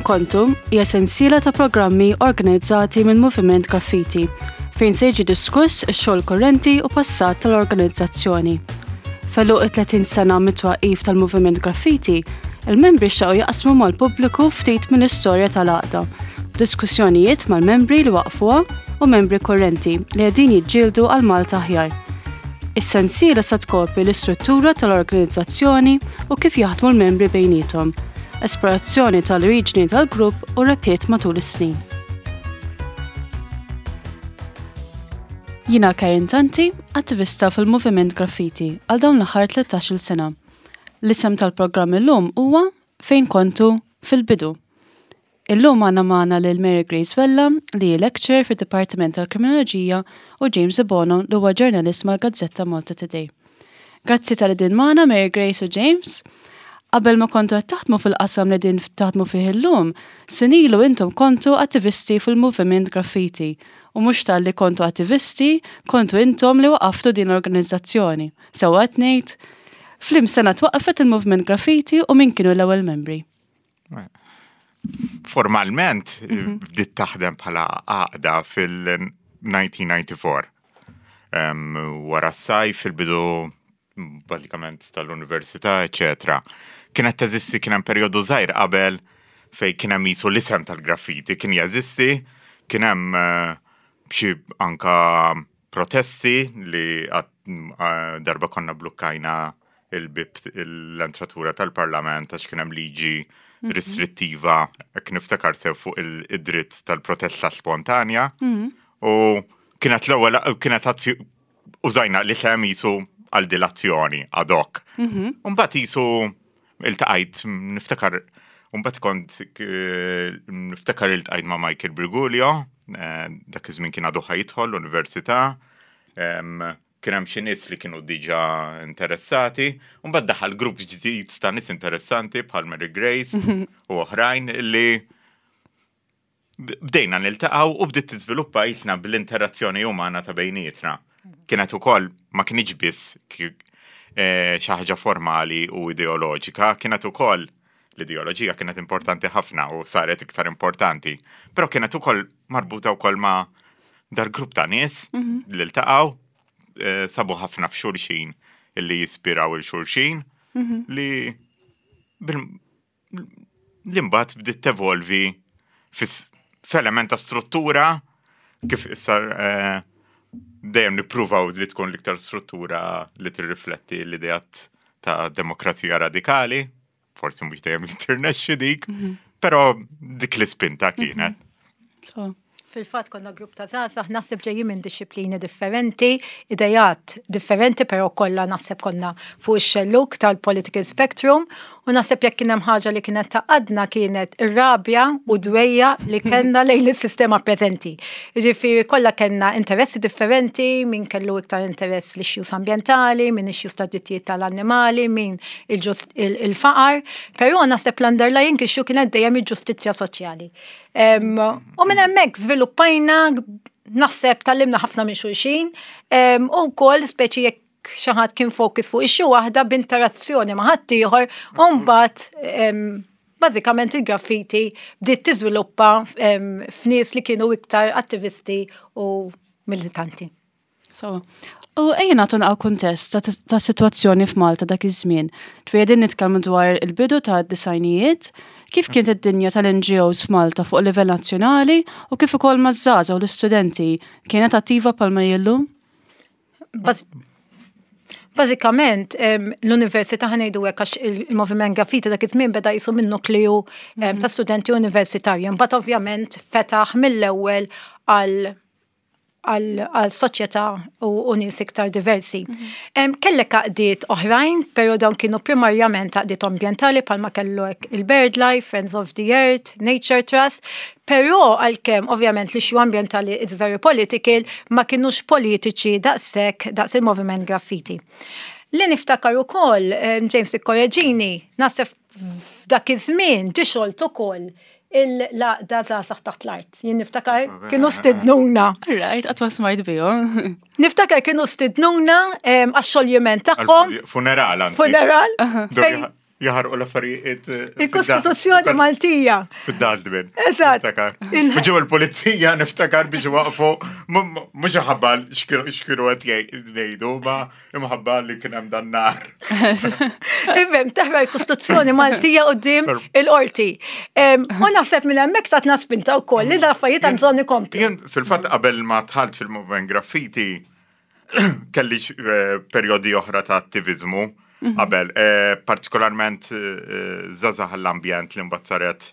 Kontu hija sensiela ta' programmi organizzati minn Moviment Graffiti fejn se jiġi diskuss ix-xogħol kurrenti u passat tal-organizzazzjoni. F'għeluq it-30 sena mit-twaqqif tal-Moviment Graffiti, il-membri xtaqu jaqsmu mal-pubbliku ftit mill-istorja tal-għaqda, b'diskussjonijiet mal-membri li waqqfuha u membri kurrenti li qegħdin jiġġieldu għal Malta aħjar. Is-sensiela se tkopri l-istruttura tal-organizzazzjoni u kif jaħdmu l-membri bejniethom, esplorazzjoni tal-oriġini tal-grupp u rebħiet matul is-snin. Jiena Karen Tanti, attivista fil-Moviment Graffiti għal dawn l-aħħar 13-il sena. L-isem tal-programm illum huwa Fejn Kontu fil-Bidu. Illum għandna magħna lil Mary Grace Vella li hi lecturer fid-Dipartiment tal-Kriminoloġija u James Debono li huwa ġurnalist mal-gazzetta Malta Today. Grazzi talli din magħna Mary Grace u James. Qabel ma kontu qed taħdmu fil-qasam li din taħdmu fih illum, snin ilu intom kontu attivisti fil-Moviment Graffiti u mhux talli kontu attivisti, kontu intom li waqaftu din l-organizzazzjoni. Sewwa qed ngħid? F'liem sena twaqqfet il-Moviment Graffiti u min kienu l-ewwel membri? Formalment bdiet taħdem bħala għaqda fil-1994. Wara s-sajf, fil-bidu bażikament tal-università, eċetera. Kienet teżisti kien hemm perjodu żgħir qabel fej kien hemm jisu l-isem tal-graffiti kien jeżisti, kien hemm eh, xi anka protesti li darba konna blukkajna il-bib l-entratura tal-parlament għax kien hemm liġi mhm. restrittiva hekk niftakar sew fuq id-dritt tal-protesta spontanja. Mhm. U kienet l-ewwel kienet użajna li kemm jisu għal dilazzjoni ad hoc. Mhm. Mbagħad jisu iltaqajt niftakar mbagħad kont eh, niftakar iltqajt ma' Michael Briguglio, eh, dak iż-żmien kien għadu ħajidħol l-università, kien hemm xi nies li kienu diġà interessati, u mbagħad daħal grupp ġdid ta' nies interessanti bħal Mary Grace u oħrajn li bdejna niltaqgħu u bdiet tiżviluppa jitna bl-interazzjoni umana ta' bejnietna. Kienet ukoll ma kienx biss eh, xi ħaġa formali u ideoloġika, kienet ukoll l-ideoloġija kienet importanti ħafna u saret iktar importanti, però kienet ukoll marbuta wkoll ma' dar grupp ta' nies mhm. li ltaqgħu eh, sabu ħafna f'xulxin illi jispiraw il-xulxin mhm. li li mbagħad bdiet tevolvi f'element ta' struttura kif issa eh, dejjem nippruvaw li tkun l-iktar struttura li tirrifletti l-ideat ta' demokrazija radikali, forsi mhux dejjem tirnexxi dik, mhm. però dik l-ispinta kienet. Mhm. Fil-fatt konna grupp ta' żgħażagħ naħseb ġejjin minn dixxiplini differenti, idejat differenti, però kollha naħseb konna fuq ix-xellug tal-political spectrum u naħseb jekk kien hemm ħaġa li kienet taqadna kienet ir-rabja u dwejja li kellna lejn is-sistema preżenti. Jiġifieri kollha kellna interessi differenti, min kellu iktar interess l-issues ambjentali, min issues ta' drittijiet tal-annimali, min il-faqar, però naħseb l-underlying issue kienet dejjem il-ġustizzja soċjali. U minn hemmhekk żviluppajna naħseb tallimna ħafna minn xulxin u wkoll speċi jekk xi ħadd kien fokus fuq issue waħda b'interazzjoni ma' ħaddieħor u mbagħad bażikament il-graffiti bdiet tiżviluppa f'nies li kienu iktar attivisti u militanti. So, u ejja nagħtu naqgħu kuntest ta' sitwazzjoni f'Malta dak iż-żmien. Ġifieri nitkellmu dwar il-bidu ta' disajnijiet, kif kienet id-dinja tal-NGOs f'Malta fuq livell nazzjonali u kif ukoll maż-żgħażagħ u l-istudenti kienet attiva bħalma hi llum? Bażikament, l-università ħa ngħidu hekk għax il-moviment graffiti dak iż-żmien beda jisu minn nukleju ta' studenti universitarji. Mbagħad ovvjament fetaħ mill-ewwel għal għal soċjetà u nies iktar diversi. Mhm. Kellek għaqdiet oħrajn, pero dawn kienu primarjament għaqdiet ambjentali bħalma kellek il-BirdLife, Friends of the Earth, Nature Trust, pero għalkemm ovvjament l-issue ambjentali it's very political, ma kienux politiċi daqshekk daqs il-moviment graffiti. Li niftakar ukoll, James ikkoreġini, naħseb f'dak iż-żmien ġie xolt ukoll il-laqda żgħażagħ taħt l-art. Jien niftakar kienu stidnuna. Right, qatt ma smajt bihom. Niftakar kienu stidnuna għax-xoljiment tagħhom. Funeral. Funeral. Jaħarqu l-affarijiet. Il-Kostituzzjoni Maltija. Fid-daldbin. Eżatt. Ġew il-pulizija niftakar biex waqfu, mhux ħabba x'kienu qed jgħidu, ma imħabba li kien hemm dan nar. Ifhem, taħra l-Kostituzzjoni Maltija qudiem il-qorti. U naħseb minn hemmhekk tatna spinta wkoll li l-affarijiet hemm bżonn ikomplu. Jien fil-fatt qabel ma dħalt fil-movement graffiti, kelli eh, perjodi oħra ta' attivizmu mhm. qabel, eh, partikolarment eh, żgħażagħ l-ambjent li mbagħad saret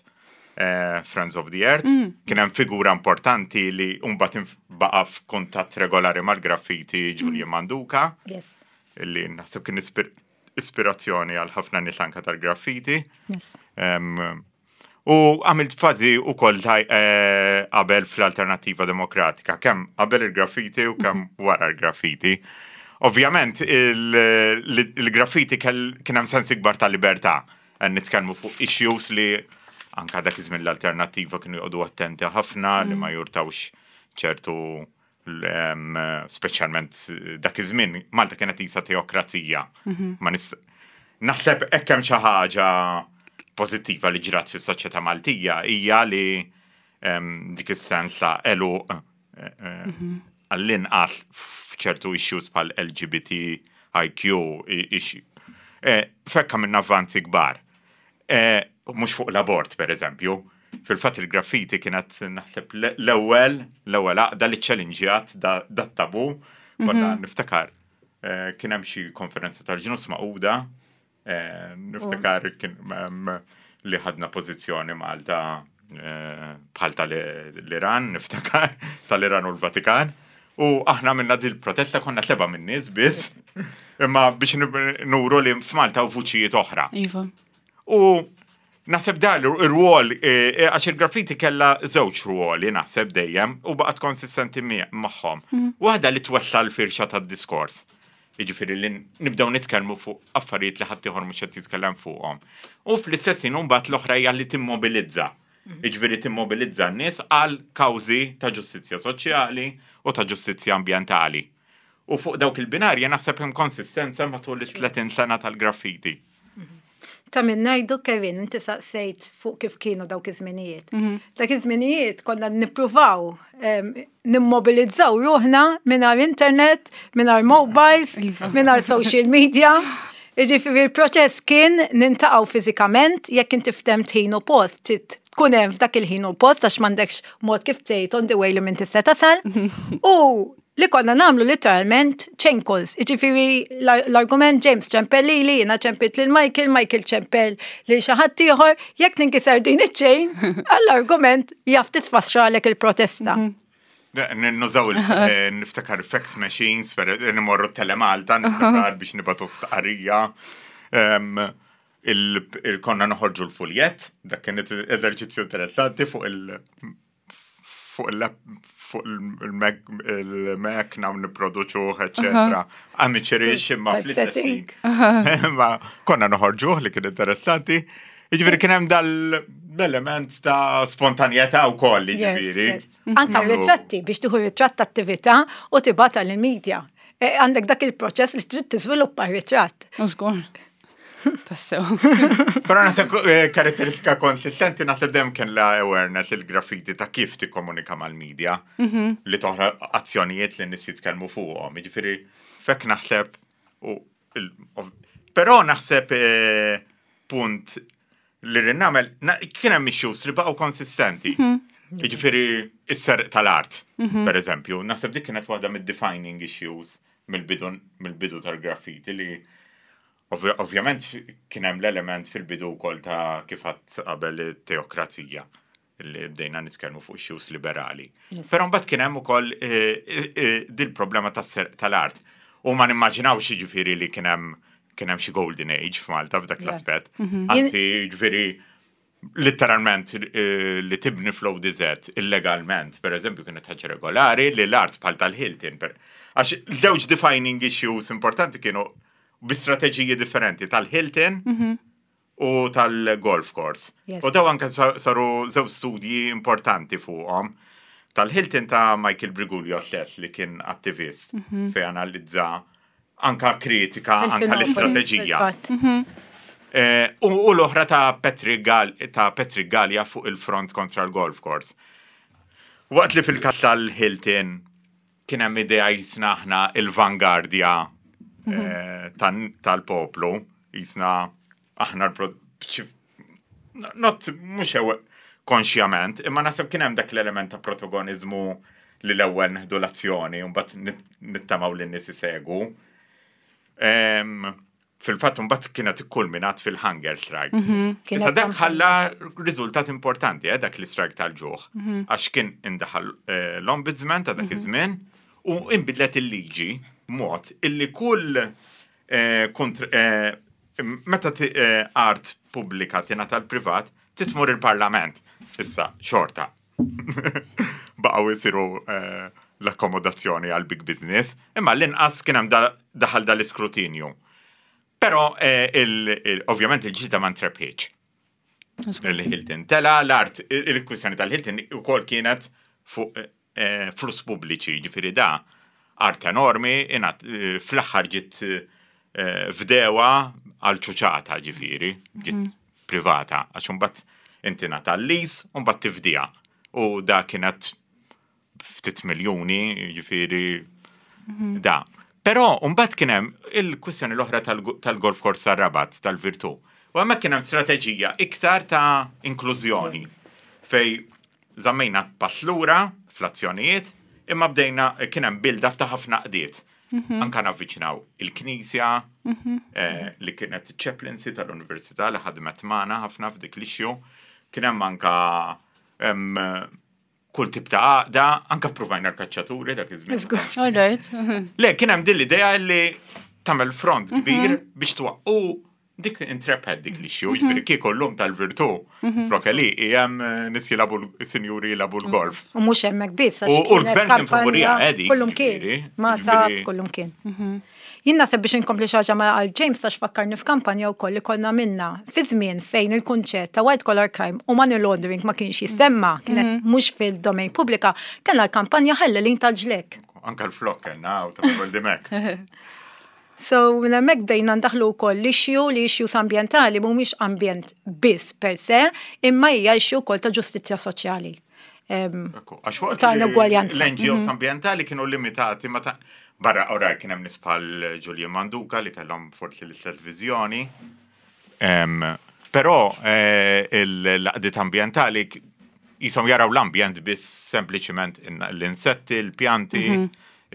Friends of the Earth. Mhm. Kien hemm figura importanti li mbagħad baqa' f'kuntatt regolari mal-graffiti mhm. Julian Manduka. Li naħseb kien ispirazzjoni għal ħafna nies anka tal-graffiti. U għamilt fazi u koll eh, qabel fl-Alternativa Demokratika, kemm qabel il-graffiti u kemm mhm. wara l-graffiti. Ovvjament, il-graffiti kien hemm sens ikbar ta' libertà. Nitkellmu fuq issues li anka dak iż-żmien l-alternattiva kienu joqogħdu attenti ħafna li ma mm. jurtawx ċertu speċjalment dak iż-żmien Malta kienet isa teokrazija. Mhm. Ma nis naħseb hekk hemm xi ħaġa pożittiva li ġrat fis-soċjetà Maltija hija li dik is-sens ta' eluq eh, eh, mhm. għall-inqas f'ċertu issues bħal LGBTIQ eh, fekka minn avvanzi kbar. Mhux fuq l-abort, per eżempju. Fil-fatt il-graffiti kienet naħseb l-ewwel l-ewwel għaqda li ċċellinġjat dat-tabu. Konna mhm. niftakar eh, kien hemm xi konferenza tal-ġnus maquda, eh, niftakar kien li ħadna pożizzjoni Malta eh, bħal tal-Iran, niftakar, tal-Iran u l-Vatikan. U aħna minna dil protesta konna seba minn nies biss, imma biex nuru li f'Malta u vuċijiet oħra. Iva. U naħseb dan ir-rwol, eh, eh, għax il-graffiti kella żewġ rwoli naħseb dejjem u baqgħet konsistenti magħhom. Mhm. Waħda li twessa l-firxa tad-diskors. Jiġifieri li nibdew nitkellmu fuq affarijiet li ħadd ieħor mhux qed jitkellem fuqhom. U fl-istess ħin mbagħad l-oħra hija li timmobilizza. Mhm. Jiġifieri timmobilizza n-nies għal kawżi ta' ġustizzja soċjali u ta' ġustizzja ambjentali. U fuq dawk il-binarji naħseb hemm konsistenza matul it-30 sena tal-graffiti. Ta' min ngħidu Kevin, inti saqsejt fuq kif kienu dawk iż-żminijiet. Mhm. Dak iż-żminijiet konna nippruvaw nimmobilizzaw ruħna mingħajr internet, mingħajr mobiles, iva. mingħajr social media. Jiġifieri l-proċess kien nintaqgħu fiżikament jekk inti ftemt ħin u post, trid tkun hemm f'dak il-ħin u post għax m'għandekx mod kif tgħid on the way li minn tista' tasal. U li konna namlu literalment chain calls. Iġifiri l-argument James ċempel li li, jina ċempilt lil Michael, Michael ċempel li xaħat ieħor, jekk ninkiser din iċ-chain, għall-argument jaf tisfaxxalek il-protesta. Mhm. Nużaw eh, niftakar fax machines, per nimorru telemalta, niftakar biex nibatu stqarrija. Il-konna noħorġu l-fuljet, dak kien eżerċizzju interessanti fuq il- fuq il-Mac naw niproduċuh, eccetera. Amateurish imma fl-setting. Ma konna noħorġuh li kien interessanti. Jiġifieri kien hemm dal-element ta' spontanjetà wkoll, jiġifieri. Anka ritratti biex tieħu ritratt attività u tibgħatha lill-media. E, għandek dak il-proċess li trid tiżviluppa ritratt. Żgur. Tassew. Però naħseb eh, karatteristika konsistenti naħseb dejjem kien la awareness il-graffiti ta' kif tikkomunika mal-medja mhm. li toħra azzjonijiet li nies jitkellmu fuqhom. Jiġifieri fek naħseb u però naħseb eh, punt li rrid nagħmel kien hemm issues li baqgħu konsistenti. Mhm. Jiġifieri is-serq tal-art, mhm. per eżempju, naħseb dik kienet waħda mid-defining issues mill-bidu tal-graffiti li Ovvjament kien hemm l-element fil-bidu wkoll ta' kif għadt qabel it-teokrazija li bdejna nitkellmu fuq issues liberali. Però mbagħad kien hemm ukoll eh, eh, eh, dil-problema tas-serq tal-art. U ma nimmaġinawx jiġifieri li kien hemm kien hemm xi golden age f'Malta f'dak l-aspett. Mhm. Anzi, jiġifieri Litteralment li tibni fl-ODZ illegalment, per eżempju, kienet ħaġa regolari li l-art bħal tal-Hilton. Għax żewġ defining issues importanti kienu bi strateġiji differenti tal-Hilton mhm. u tal-golf course. U daw anke saru żewġ studji importanti fuqhom. Tal-Hilton ta' Michael Briguglio stess li kien attivist mhm. fej analizza anka kritika, anka l-istrateġija. Mhm. U l-oħra ta' Patrick ta' Patrick Galea fuq il-front kontra l-golf course. Waqt li fil-każ tal-Hilton kien hemm idea jisna aħna il-vangardja tal-poplu, jisna aħna not mhux konxjament, imma naħseb kien hemm dak l-element ta' protagonizmu li l-ewwel neħdu l-azzjoni u mbagħad nittamaw li n-nies isegwu. Fil-fatt mbagħad kienet ikkulminat fil-hunger strike. Issa dak ħalla riżultat importanti, dak l-strike tal-ġuħ. Għax kien indaħal l-ombudsman ta' dak iż-żmien u inbidlet il-liġi mod illi kull meta art pubblika tingħata l-privat titmur il-parlament. Issa, xorta. Baqgħu jsiru l-akkomodazzjoni għal big business, imma l-inqas kien hemm daħal dal-iskrutinju. Però ovvjament il-ġita ma ntrebħitx. Il-Hilton tela l-art, il-kwistjoni tal-Hilton ukoll kienet fuq flus pubbliċi, ġifieri da art enormi, fl-aħħar ġiet fdewa għal ċuċata ġifieri, ġiet privata, għax imbagħad inti nata l-lease u mbagħad tifdiha. U da kienet ftit miljuni, ġifieri da. Però mbagħad kien hemm il-kwistjoni l-oħra tal-golf course tar-Rabat tal-Virtù. U hemmhekk kien hemm strateġija iktar ta' inklużjoni fej żammejna pass lura fl-azzjonijiet, imma bdejna kien hemm build-up ta' ħafna qdiet. Anka navviċinaw il-Knisja li kienet chaplaincy tal-Università li ħadmet magħna ħafna f'dik l-issue. Kien hemm anka kull tip ta' għaqda, anka provajna l-kaċċaturi dak iż-żmien. All right. Le, kien hemm din l-idea li tagħmel front kbir biex twaqqu dik intrebħet dik l-issue, ġifieri kieku llum tal-Virtù, flok li hemm nies jilagħbu sinjuri jilagħbu l-golf. U mhux hemmhekk biss. U l-gvern kien favorija edi. Kullum kien. Ma ta' kullum kien. Jien naħseb biex inkompli xi ħaġa ma għal James għax fakkarni f'kampanja wkoll li konna minna fi żmien fejn il-kunċett ta' white collar crime u money laundering ma kienx jissemma, kienet mhux fil-domain pubblika, kellna l-kampanja ħallelin tal-ġlek. Anka l-flok kellna u ta' Mek. So, minn hemmhekk bdejna ndaħlu wkoll l-issue li issues ambjentali mhumiex ambjent biss per se, imma hija issue wkoll ta' ġustizzja soċjali. Għax waqt Ta' inugwaljanza. l-NGOs ambjentali kienu limitati ma ta' barra ora kien hemm nies bħal Julian Manduka li kellhom forsi l-istess viżjoni. Però l-għaqdiet ambjentali jisom jaraw l-ambjent biss sempliċiment l-insetti, l-pjanti,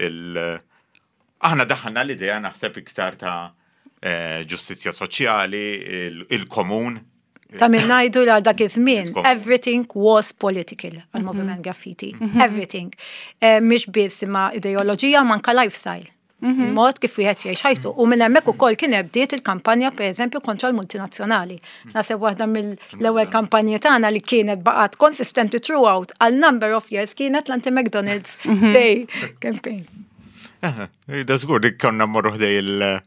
il- Aħna daħħalna l-idea naħseb iktar ta' ġustizzja soċjali, il-komun. Ta' min ngħidu li dak iż-żmien, everything was political għal-moviment graffiti. Everything. Mhix biss imma ideoloġija ma anka lifestyle. Il-mod kif wieħed jgħix ħajtu. U minn hemmhekk ukoll kien bdiet il-kampanja pereżempju kontra l-multinazzjonali. Naħseb waħda mill-ewwel kampanji tagħna li kienet baqgħet konsistenti throughout għal number of years kienet l-anti-McDonald's Day campaign. Da żgur dik konna mmorru ħdej il-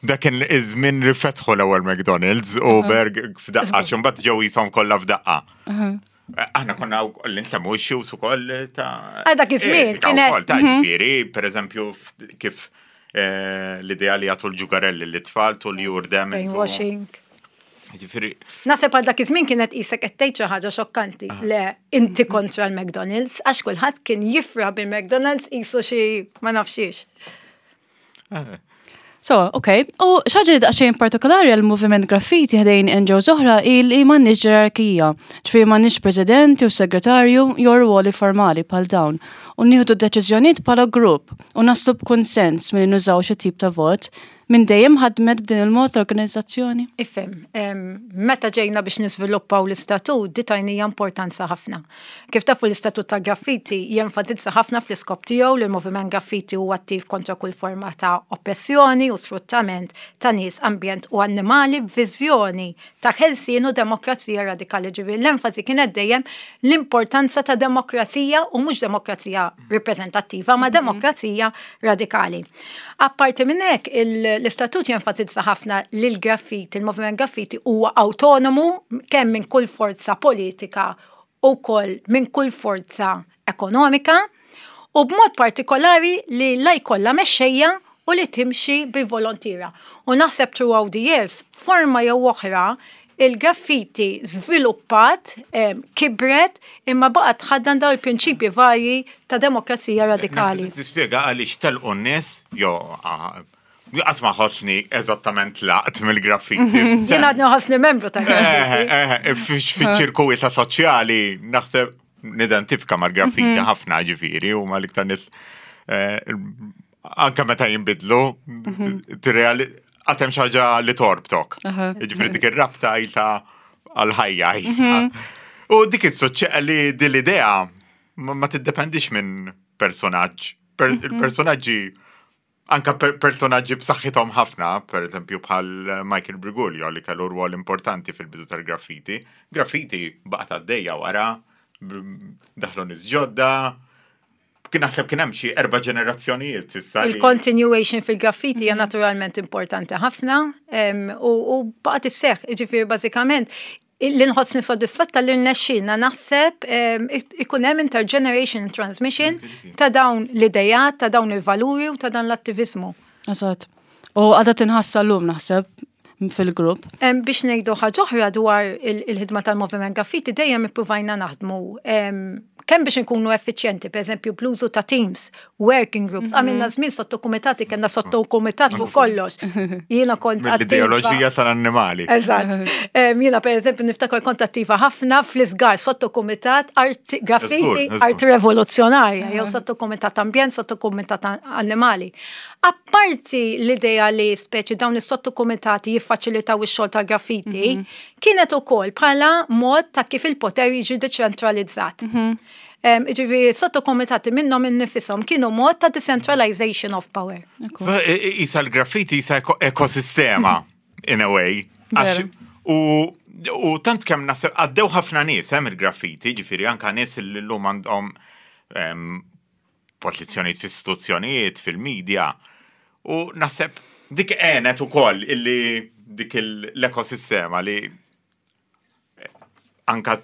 Dak kien iż-żmien li fetħu l-ewwel McDonald's u Berg f'daqqa, x'imbagħad ġew jisom kollha f'daqqa. Aħna konna l-insemmu issues ukoll ta' Ah, dak iż-żmien etika kienet- wkoll ta' ġifieri, pereżempju kif l-idea li jagħtu l-ġugarelli l-tfal tul jurdem. Brainwashing. Ġifieri, Naħseb għal dak iż-żmien kienet qisek qed tgħid xi ħaġa xokkanti. Le, inti kontra l-McDonald's, għax kulħadd kien jifra bil-McDonald's qisu xi ma nafxiex. So, ok. U xi ħaġa li daqsxejn partikolari għal moviment graffiti ħdejn NGOs oħra il li m'għandniex ġerarkija. Ġifieri m'għandniex president u segretarju jew ruoli formali bħal dawn. U nieħdu deċiżjonijiet bħala grupp u naslu b'konsens milli nużaw xi tip ta' vot. Minn dejjem ħadmet b'din il-mod l-organizzazzjoni. Ifhem, meta ġejna biex niżviluppaw l-istatut, di tajnija importanza ħafna. Kif tafu l-istatut ta' graffiti jenfasizza ħafna fl-iskop tiegħu li l-moviment graffiti huwa attiv kontra kull forma ta' oppressjoni u sfruttament ta' nies, ambjent u annimali b'viżjoni ta' ħelsien u demokrazija radikali. Ġifieri l-enfasi kienet dejjem l-importanza ta' demokrazija u mhux demokrazija rappreżentattiva, ma' demokrazija radikali. Apparti minn hekk, l-istatut jenfasizza ħafna li l-graffiti, il-moviment graffiti huwa autonomu kemm minn kull forza politika u koll minn kull forza ekonomika u b'mod partikolari li la jkollha mexxejja u li timxi bil-volontiera. U naħseb throughout the years, forma jew oħra, il-graffiti żviluppat, kibret, imma baqgħet tħaddan dawn il-prinċipji varji ta' demokrazija radikali. Tispjega għaliex telqu n-nies, jo, qatt ma ħossni eżattament laqt mill-graffiti. Jien għadni ħossni membru ta' graffiti. Fiċ-ċirkuwita soċjali naħseb nidentifika mal-graffiti mhm. ħafna ġifieri u mal-iktar nies eh, anka meta jinbidlu, mhm. tirreali għatem xaġa li torbtok. Ġifieri dik ir-rabta jita għal-ħajja. Mhm. U dik il-suċċeq li din l-idea ma tiddependix minn personaġġ. Mhm. Il-personaġġi anka personaġġi b'saħħithom ħafna, per eżempju bħal Michael Briguglio li kellu rwol importanti fil-bidu tal-graffiti. Graffiti baqgħet għaddejja wara, daħlu nies ġodda, kien naħseb kien hemm xi erba' ġenerazzjonijiet issa. Il-continuation fil-graffiti hija mhm. naturalment importanti ħafna u baqgħet isseħħ, jiġifieri bażikament li nħossni soddisfatta li rnexxilna naħseb ikun hemm intergeneration transmission ta' dawn l-idejat, ta' dawn il-valuri u ta' dan l-attivizmu. Eżatt. U għadha tinħassa llum naħseb fil-grupp. Biex ngħidu ħaġa oħra dwar il-ħidma tal-Moviment Graffiti dejjem ippruvajna naħdmu kemm biex inkunu effiċjenti, per eżempju, bl-użu ta' teams, working groups, mhm. għamilna żmien sotto kumitati, kellna sotto kumitat fuq kollox. Jiena kont L-ideoloġija tal-annimali. Eżatt. Jiena per eżempju niftakar kont attiva ħafna fl-isgar sotto kumitat art graffiti, art revoluzzjonarja, jew sotto kumitat ambjent, sotto kumitat annimali. Apparti l-idea li speċi dawn is-sottokumitati jiffaċilitaw ix-xogħol tal-graffiti, mhm. kienet ukoll bħala mod ta' kif il-poter jiġi deċentralizzat. Mhm. Ġifieri sottokumitati minnhom innifisom kienu mod ta' decentralization of power. Isa l-graffiti isa ekosistema in a way. U u tant kemm naħseb għaddew ħafna nies hemm il-graffiti, ġifieri anka nies li llum għandhom pożizzjonijiet fl-istituzzjonijiet, fil-media. U naħseb dik għenet ukoll illi dik l-ekosistema li anka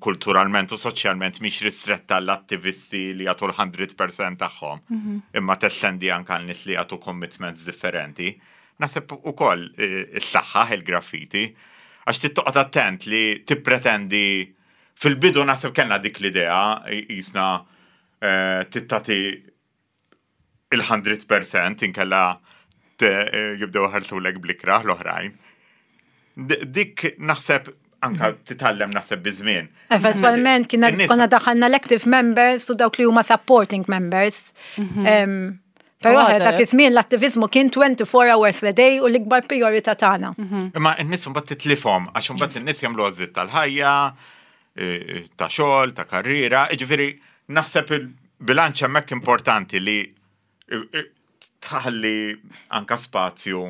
kulturalment u soċjalment mhix ristretta l-attivisti li jagħtu l-100% tagħhom, mhm. imma testendi anka nies li jagħtu commitments differenti. Naħseb ukoll eh, is-saħħa il-graffiti għax tittoqgħod attent li tippretendi Fil-bidu naħseb kellna dik l-idea, jisna eh, tittati il-100% inkella eh, jibdew ħarsulek blikra l-oħrajn. Dik naħseb anka mhm. titgħallem naħseb biż-żmien. Eventwalment kien konna daħalna l-active members u dawk li huma supporting members. Mhm. Però oh, dak iż-żmien l-attivizmu kien 24 hours a day u l-ikbar priorità tagħna. Mhm. Imma n-nies mbagħad titlifhom għax imbagħad in-nies jagħmlu għażiet tal-ħajja, e, e, ta' xogħol, ta' karriera, jiġifieri naħseb il-bilanċ hemmhekk importanti li e, tħalli anka spazju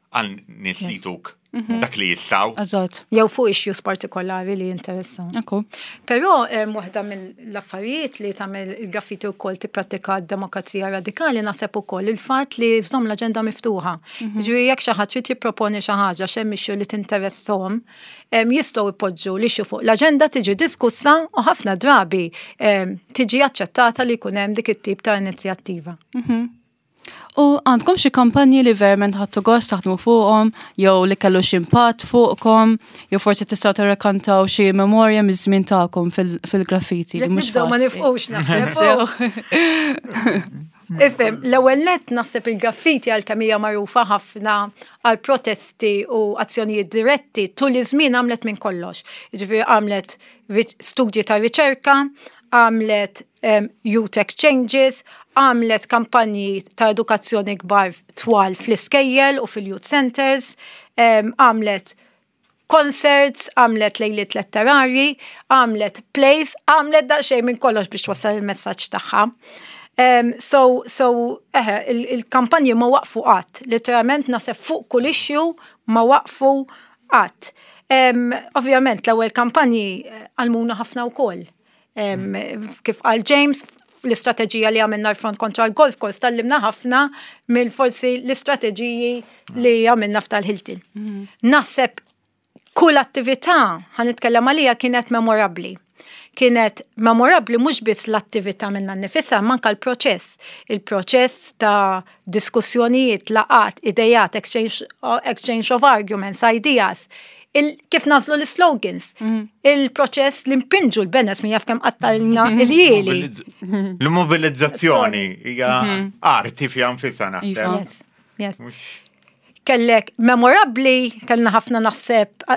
għal nies li tuk mhm. dak li jistaw. Eżatt. Jew fuq issues partikolari li jinteressaw. Ekku. Però waħda mill-affarijiet li tagħmel il-graffiti wkoll tipprattika d-demokrazija radikali naħseb ukoll il-fatt li żomm l-aġenda miftuħa. Mhm. Ġifieri jekk xi ħadd trid jipproponi xi ħaġa x'hemm issue li tinteressahom, jistgħu jpoġġu l-issue fuq l-aġenda tiġi diskussa u ħafna drabi tiġi aċċettata li jkun hemm dik it-tip ta' inizjattiva. Mhm. U għandkom xi kampanji li verament ħadtu gost taħdmu fuqhom jew li kellu xi impatt fuqkom, jew forsi tistgħu tirrakantaw xi memorja miż-żmien tagħkom fil-graffiti li mhux ma nifqux naħseb. Ifhem, l-ewwel nett naħseb il-graffiti għalkemm hija magħrufa ħafna għal protesti u azzjonijiet diretti tul iż-żmien għamlet minn kollox. Jiġifieri għamlet studji ta' riċerka, għamlet youth exchanges, għamlet kampanji ta' edukazzjoni kbar twal fl-iskejjel u fil-youth centers, għamlet concerts, għamlet lejliet letterarji, għamlet plays, għamlet daqsxejn minn kollox biex twassal il-messaġġ tagħha. So, so, eħe, il-kampanji ma waqfu qatt, literalment naħseb fuq kull issue ma waqfu qatt. Ovvjament l-ewwel kampanji eh, għalmuna ħafna wkoll. Kif qal James, l-istrateġija li għamilna l-front kontra l-golf course tallimna ħafna mill forsi l-istrateġiji li għamilna f'tal-Hilton. Mm. Naħseb kull attività ħa nitkellem għalija kienet memorabbli. Kienet memorabbli mhux biss l-attività minnha nnifisha, imma anke l-proċess. Il-proċess ta' diskussjonijiet, laqgħat, idejat, exchange, exchange of arguments, ideas. Il, kif nażlu l-slogans, mhm. il-proċess li mpinġu l-banners min jaf kemm qattalna mhm. il-jieli. L-mobilizzazzjoni hija mhm. arti fiha nfisha naħseb. Iva. Yes, yes. Kellek memorabbli, kellna ħafna naħseb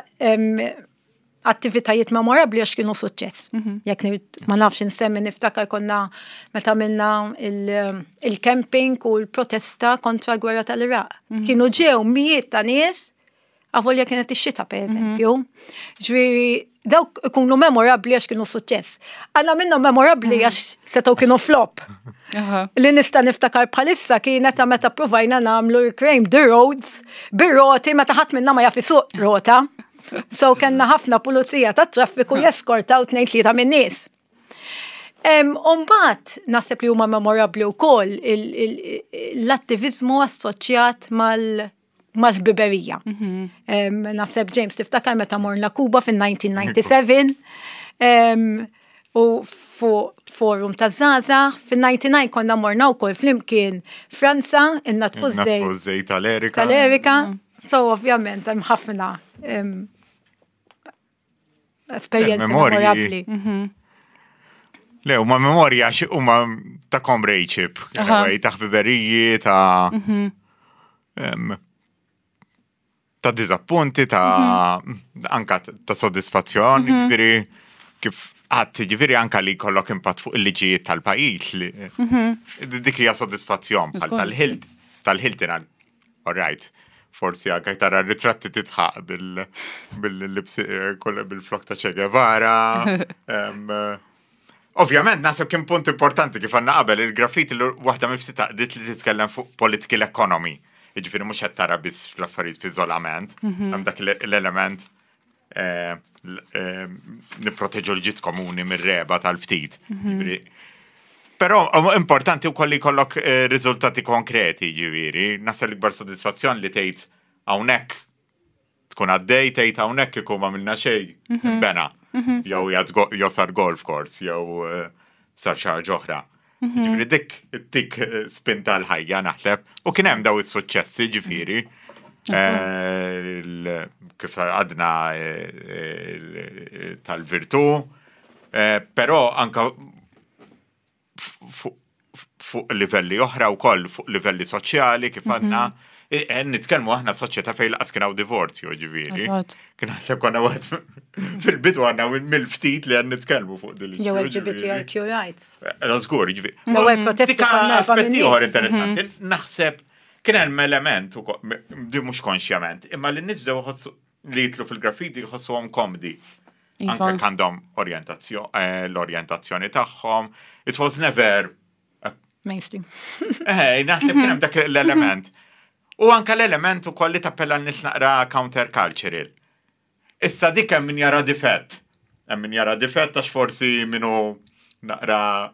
attivitajiet memorabbli għax kienu suċċess. Mhm. Jekk ma nafx insemmi niftakar konna meta minna il-camping u l-protesta kontra l-gwerra tal-Iraq. Mhm. Kienu ġew mijiet ta' nies avolja kienet ix-xita per mhm. eżempju. Ġifieri dawk ikunu memorabbli għax kienu suċċess. Għandna minnhom memorabbli għax setgħu kienu flop. Li nista' niftakar bħalissa kienet ta' meta provajna nagħmlu reclaim the roads bir-roti meta ħadd minna ma jaf isuq rota. So kellna ħafna pulizija tat traffiku jeskortaw 2-3 min-nies. Umbat, naħseb li huma memorabbli wkoll l-attivizmu assoċjat mal- mal-ħbiberija. Mhm. Naħseb James tiftakar meta morna Kuba fin-1997 u fuq forum ta' Zaza, fin-99 konna morna wkoll flimkien Franza, in-natfu żejt tal-Erika. Tal-Erika. Mhm. So ovvjament hemm ħafna esperjenzi memorabbli. Mhm. Le, huma memorja għax huma ta' comradeship, ta' ħbiberiji, ta' mhm. ta' diżappunti, ta' mhm. anka ta' soddisfazzjon, ġifieri kif għad ġifieri anka li jkollok impatt fuq il-liġijiet tal-pajjiż li dik hija soddisfazzjon bħal tal-ħilt tal-ħiltin All right. Forsi anke tara ritratti titħaq bil-libsi eh, bil-flok ta' Che Guevara. Eh, ovvjament, naħseb kien punt importanti kif għanna qabel il-graffiti li waħda mill-ftit taqdiet li titkellem fuq political economy. Jiġifieri mhux qed tara biss fl-affarijiet f'iżolament, mhm. hemm dak l-element eh, eh, nipproteġu l-ġid komuni mir-reba tal-ftit. Mhm. Però importanti wkoll li jkollok eh, riżultati konkreti, ġifieri, nasal l-ikbar sodisfazzjon li tgħid hawnhekk tkun għaddej tgħid hawnhekk kieku ma minna xejn mhm. bena. Mhm. Jew jew sar golf course jew sar xi ħaġa oħra. Ġifieri dik tik spinta l-ħajja naħseb. U kien hemm daw is-suċċessi ġifieri. Eh, kif għadna eh, tal-virtu, eh, però anka fuq livelli oħra wkoll fuq livelli soċjali kif għandna mhm. E, e, nitkellmu aħna soċjetà fejn laqas kien hawn divorzju ġifieri. Kien għandna konna wieħed fil-bidu għandna mill-ftit li għan nitkellmu fuq din Jew LGBTIQ rights. Eh, żgur, ġifieri. L-ewwel protesti konna aspetti ieħor interessanti. Mhm. Naħseb kien hemm element di mhux konxjament, imma li nies bdew li jitlu fil-graffiti jħossuhom komdi. Iva. Anke għandhom orjentazzjoni, eh, l-orjentazzjoni tagħhom. It was never Mainstream. Eh, naħseb kien hemm dak l-element. U anka l-element ukoll li tappella n-nies naqra countercultural. Issa dik hemm min jara difett. Hemm min jara difett għax forsi minu naqra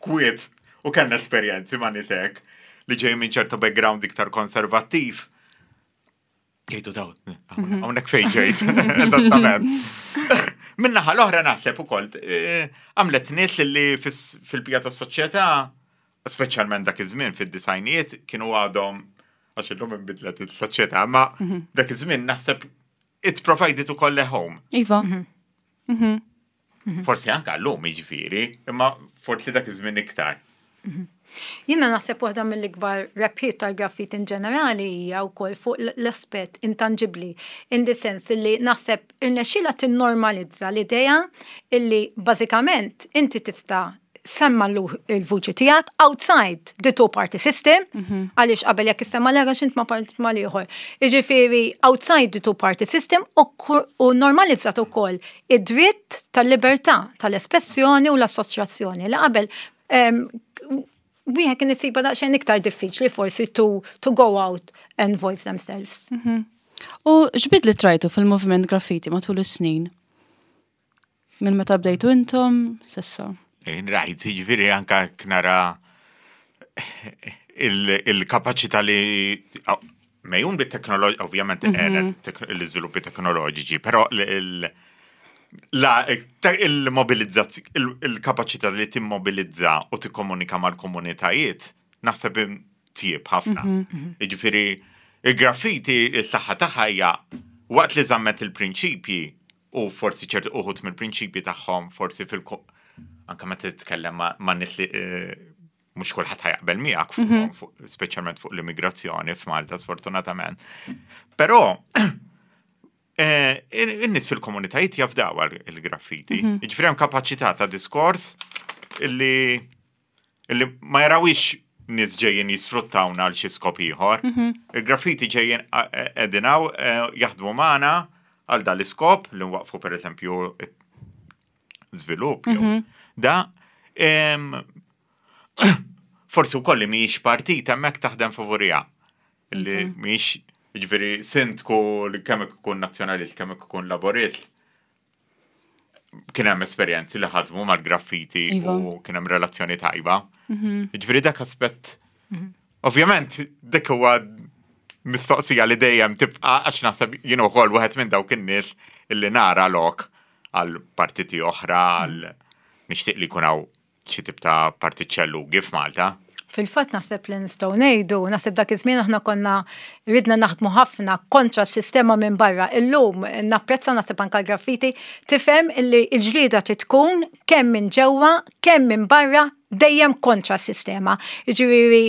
kwiet u kellna esperjenzi ma' nies hekk li ġej minn ċertu background iktar konservattiv. Jgħidu daw, mhm. hawnhekk fejn ġejt, eżattament. Minnaħa l-oħra naħseb ukoll eh, għamlet nies li fil-bija tas-soċjetà, speċjalment dak iż-żmien fid-disajnijiet kienu għadhom għax illum inbidlet is-soċjetà, ma mhm. dak iż-żmien naħseb it provided ukoll a home. Iva. Mhm. Forsi anka llum jiġifieri, imma forsi dak iż-żmien iktar. Jiena naħseb waħda mill-ikbar rebħiet tal-graffiti in ġenerali hija wkoll fuq l-aspett intanġibbli, in the sense li naħseb irnexxielha tinnormalizza l-idea illi bażikament inti tista' semma l-vuċi tiegħek outside the two party system, mhm. għaliex qabel jekk issemma l int ma part mal ieħor. Jiġifieri outside the two party system u normalizzat ukoll id-dritt tal-libertà tal-espressjoni u l-assoċjazzjoni li qabel wieħed kien isibha daqsxejn iktar diffiċli forsi to, to go out and voice themselves. Mhm. U x'bidli trajtu fil-moviment graffiti matul is-snin? Minn meta bdejtu intom sissa? Rajt, jiġifieri anka nara il-kapaċità li mejjun bit-teknoloġija, ovvjament mhm. l-iżviluppi teknoloġiċi, però La, il-mobilizzazzjoni, il-kapaċità li timmobilizza u tikkomunika mal-komunitajiet, naħseb tjieb ħafna. Jiġifieri, il-graffiti, il-saħħa tagħha hija waqt li żammet il-prinċipji u forsi ċertu uħud mill-prinċipji tagħhom forsi fil anka meta titkellem ma' nies li eh, mhux kulħadd ħa jaqbel miegħek fuq speċjalment fuq l-immigrazzjoni f'Malta sfortunatament. Però eh, in-nies fil-komunitajiet jafdaw il-graffiti. Jiġifieri hemm kapaċità ta' diskors illi illi ma jarawix nies ġejjin jisfruttawna għal xi skop ieħor. Il-graffiti ġejjin qegħdin hawn eh, jaħdmu magħna għal dal-iskop li nwaqfu pereżempju żvilupp jew da em, forsi wkoll li mhijiex partit hemmhekk taħdem favorija. Li mhijiex jiġifieri sindku li kemm ikun nazzjonalist kemm ikun laborist kien hemm esperjenzi li ħadmu mal-graffiti Iva. u kien hemm relazzjoni tajba. Jiġifieri dak aspett. Ovvjament dik huwa mistoqsija li dejjem tibqa' għax naħseb jien ukoll wieħed minn dawk in-nies illi nara lok għal partiti oħra għal nixtieq li jkun hawn xi tip ta' partit xellugi f'Malta. Fil-fatt naħseb li nistgħu ngħidu, naħseb dak iż-żmien aħna konna ridna naħdmu ħafna kontra s-sistema minn barra. Illum napprezza naħseb anke l-graffiti tifhem illi l-ġlieda trid tkun kemm minn ġewwa, kemm minn barra dejjem kontra s-sistema. Jiġifieri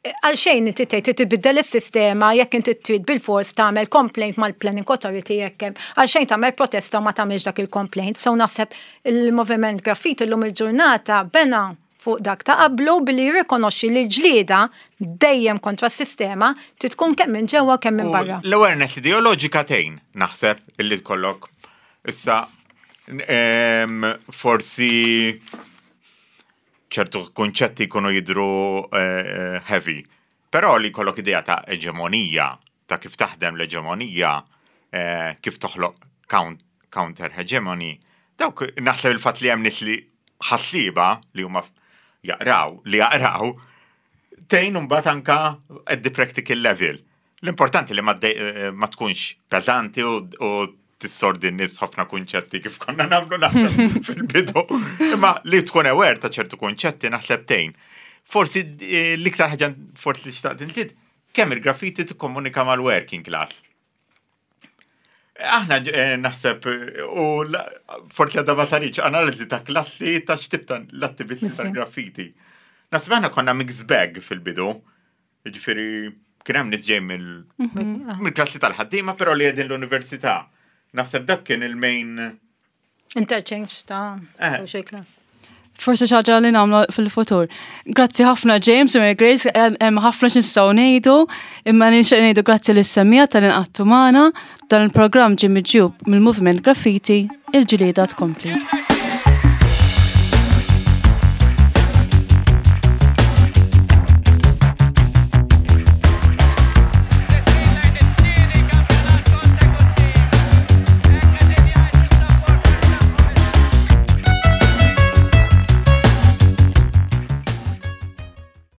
għalxejn inti tgħid trid tbiddel is-sistema jekk inti trid bil-fors tagħmel complaint mal-Planning Authority jekk hemm għalxejn tagħmel protesta u ma tagħmilx dak il-complaint. So naħseb il-moviment graffiti llum il-ġurnata bena fuq dak ta' qablu billi jirrikonoxxi li l-ġlieda dejjem kontra s-sistema trid tkun kemm minn ġewwa kemm minn U barra. L-awareness ideoloġika tgħin, naħseb, illi tkollok issa em, forsi ċertu kunċetti jkunu jidru eh, heavy. Però li jkollok idea ta' eġemonija, ta' kif taħdem l-eġemonija, eh, kif toħloq count, counter hegemony, dawk naħseb il-fatt li hemm nies li ħassiba li huma jaqraw, li jaqraw, tgħin mbagħad anka at the practical level. L-importanti li ma, eh, ma tkunx pesanti u, u tissordi n-nies b'ħafna kunċetti kif konna nagħmlu naħseb fil-bidu. Imma li tkun aware ta' ċertu kunċetti naħseb tgħin. Forsi eh, l-iktar ħaġa forsi li xtaqt inżid, kemm il-graffiti tikkomunika mal-working class. Aħna eh, naħseb eh, u la- forsi għadha ma saritx analiżi ta' klassi ta' x'tip ta' l-attivisti tal-graffiti. Naħseb aħna konna mixed bag fil-bidu. Ġifieri kien hemm nies ġej mill- mill-klassi tal-ħaddiema, però li qegħdin l-università. Naħseb dak kien il-main Interchange ta' Eh. social class. Forsi xi ħaġa li nagħmlu fil-futur. Grazzi ħafna James u Mary Grace, hemm ħafna x'nistgħu ngħidu, imma nixtieq ngħidu grazzi lis-semmiegħa talli ngħaqadtu magħna. Dan il-programm ġie miġjub mill-Moviment Graffiti, il-ġlieda tkompli.